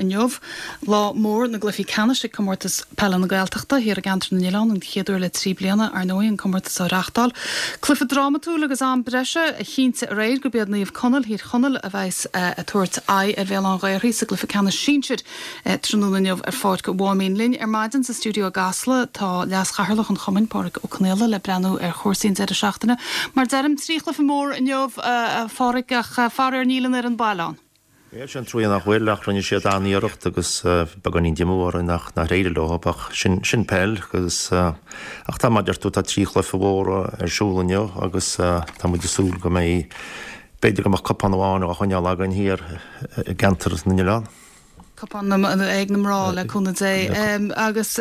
inniu. Lá mór na gcluichí ceannais ag Comórtas Peile na Gaeltachta thiar i gCeantar na nOileán, an chéad uair le 3 bliana, ar ndóigh, an comórtas á reachtáil. Cluiche drámatúil agus am breise a chinntigh aréir gurb iad Naomh Conaill Thír Chonaill a bheas ag tabhairt aghaidh ar Bhéal Átha an Ghaorthaidh sa gcluiche ceannais sinsir tráthnóna inniu ar Pháirc Mháimín. Linn ar maidin sa stiúideo i gCasla tá Leas-Chathaoirleach an Chumainn, Pádhraic Ó Conaola, le breathnú ar chúrsaí an deireadh seachtaine. Mar deirim, 3 chluiche mór inniu, a Phádhraic, ach faraor níl an fhoireann baile ann. Bhuel, sin truaí nach bhfuil, ach rinne siad an-iarracht agus beagáinín díomua orainn nach nár éirigh leo, ach sin, sin peil agus, ach tá, mar a deir tú, tá 3 chluiche mhóra ar siúl inniu agus tá muid ag súil go mbeidh, b'fhéidir go mbeadh cupán amháin á choinneáil againn thiar i gceantar na n-oileán. Cupán ag na mná, le cúnamh Dé. Agus,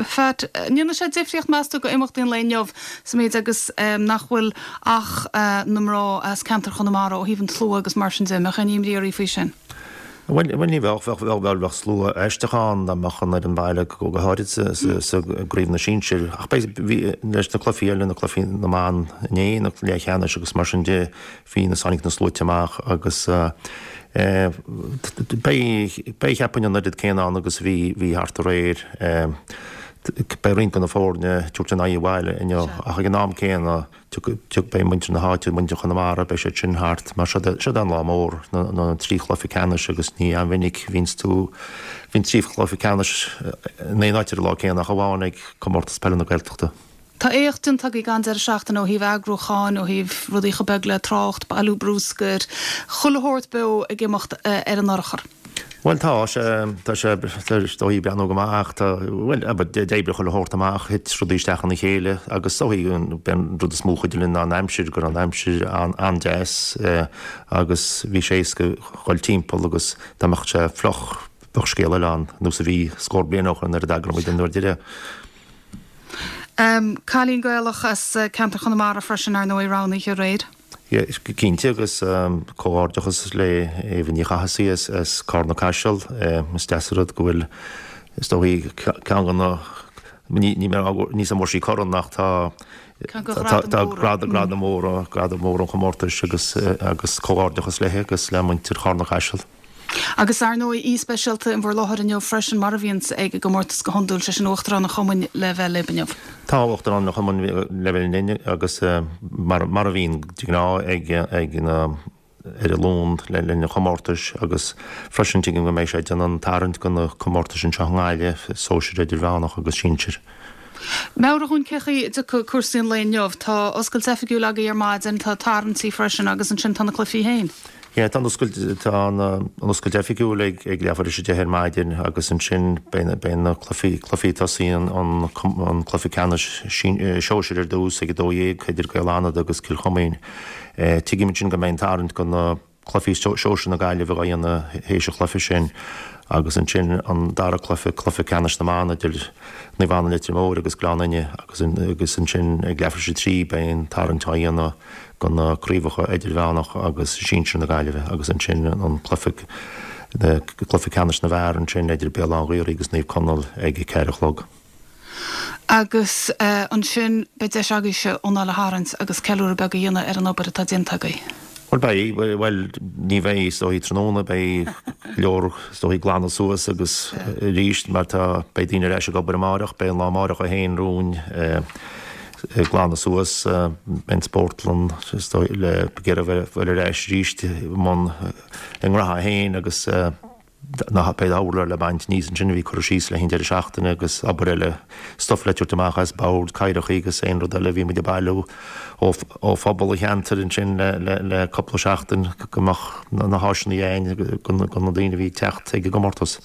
Phat, an ndéanfaidh sé difríocht, meas tú, go imeachtaí an lae inniu sa méid agus nach bhfuil ach na mná as ceantar Chonamara ó thaobh an tslua agus mar sin de? An mbeadh aon imní oraibh faoi sin? Bhuel, ní bheadh. Bheadh, bheadh slua aisteach ann dá mbeadh an fhoireann baile, go háirid sa gcraobh na sinsir. Ach beidh, bhí, leis na cluichí eile, na cluichí na mban inné, na leathcheannais agus mar sin de, Bhí na tháinig na sluaite amach agus beidh, beidh cheapfainn an oiread céanna ann agus a bhí, bhí thart aréir. Beidh roinnt de na foirne ag tabhairt a n-aghaidh abhaile inniu ach ag an am céanna tiocfaidh, beidh muintir na háite, muintir Chonamara, beidh siad sin thart mar seod é, seod é an lá mór, na, na trí chluiche ceannais agus ní an-mhinic a bhíonns tú, bhíonn trí chluiche ceannais in aon áit ar an lá céanna ach amháin ag Comórtas Peile na Gaeltachta. Tá éacht déanta agaibh an deireadh seachtaine ó thaobh eagrúcháin, ó thaobh rudaí chomh beag le trácht, bailiú brúscair, chuile shórt beo ag imeacht ar an urchar. Bhuel tá sé, tá sé, is dóigh ag breathnú go maith ach tá, bhuel, d'oibrigh chuile shórt amach, thit rudaí isteach ina chéile agus is dóigh b'é an rud is mó a chuidigh linn ná an aimsir, go raibh an aimsir an-deas agus bhí sé éasca dhul timpeall agus dá mbeadh sé fliuch bheadh scéal eile ann, nós a bhí scór bliain ó shoin nuair a d'eagraigh muid an uair deiridh. Cailín Gaelach as ceantar Chonamara freisin, ar ndóigh, roghnaithe aréir. Cinnte, agus comhghairdeachas le Éabha Ní Chathasaigh as Carna Caiseal. Is deas an rud go bhfuil, is dóigh, ceann de na, ní an bhfuair sí corn ach tá tá gradam mór, gradam mór an chomórtais agus agus comhghairdeachas léi agus le muintir Charna Caiseal. Agus ar ndóigh, aoi speisialta in bhur láthair inniu freisin, mar a bhíonns ag an gcomórtas go hiondúil, sé sin Uachtarán an Chumainn le bheith libh inniu. Tá Uachtarán an Chumainn le bheith linn agus mar a bhíonn de ghnáth ag ag na ar an Luan le linn an chomórtais agus freisin tuigim go mbeidh sé ag déanamh an tarraingt do na comórtais anseo i nGaillimh, sóisir idirmheánach agus sinsir. Meabhraigh dhúinn cén chaoi a dtiocfaidh cúrsaí an lae inniu. Tá oscailt oifigiúil agaibh ar maidin, tá tarraingtí freisin agus ansin tá na cluichí féin. Yeah, tá an oscailt, tá an oscailt oifigiúil ag ag leathuair tar éis 10 ar maidin agus ansin beidh beidh na cluichí, cluichí tosaíonn an an cluiche ceannais sóisir ar dtús ag 12 idir Gaeil Fhánada agus Cill Choimín. Tuigim ansin go mbeidh an tarraingt do na cluichí sóisir na Gaillimhe á dhéanamh théis an chluiche sin agus ansin an dara cluiche, cluiche ceannais na mban idir Naomh Anna Leitir Móir agus Gleann Fhinne agus agus ansin ag leathuair tar éis 3 beidh an tarraingt á dhéanamh do na craobhacha idirmheánach agus sinsir na Gaillimhe agus ansin an cluiche cluiche ceannais na bhfear ansin idir Béal Átha an Ghaorthaidh agus Naomh Conaill ag a 4 a chlog. Agus ansin beidh deis agaibhse anáil a tharraingt agus ceiliúradh beag a dhéanamh ar an obair atá déanta agaibh. Bhuel beidh, bhuel ní bheidh is dóigh tráthnóna, beidh go leor is dóigh glanadh suas agus arís mar tá, beidh daoine ar ais ag obair amáireach, beidh an lá amáireach é féin romhainn. ag glanadh suas an spórtlann le ag iarraidh a bheith ar ais arís i mbun a ngraithe féin agus na beidh urláir le baint aníos ansin a bhí curtha síos le haghaidh an deireadh seachtaine agus obair eile, stuif le tabhairt amach as boird, cathaoireacha agus aon rud eile a bhí muid ag bailiú ó phobal an cheantair ansin le cúpla seachtain go mbeadh na háiseanna againn do na daoine a bhí ag teacht ag an gcomórtas.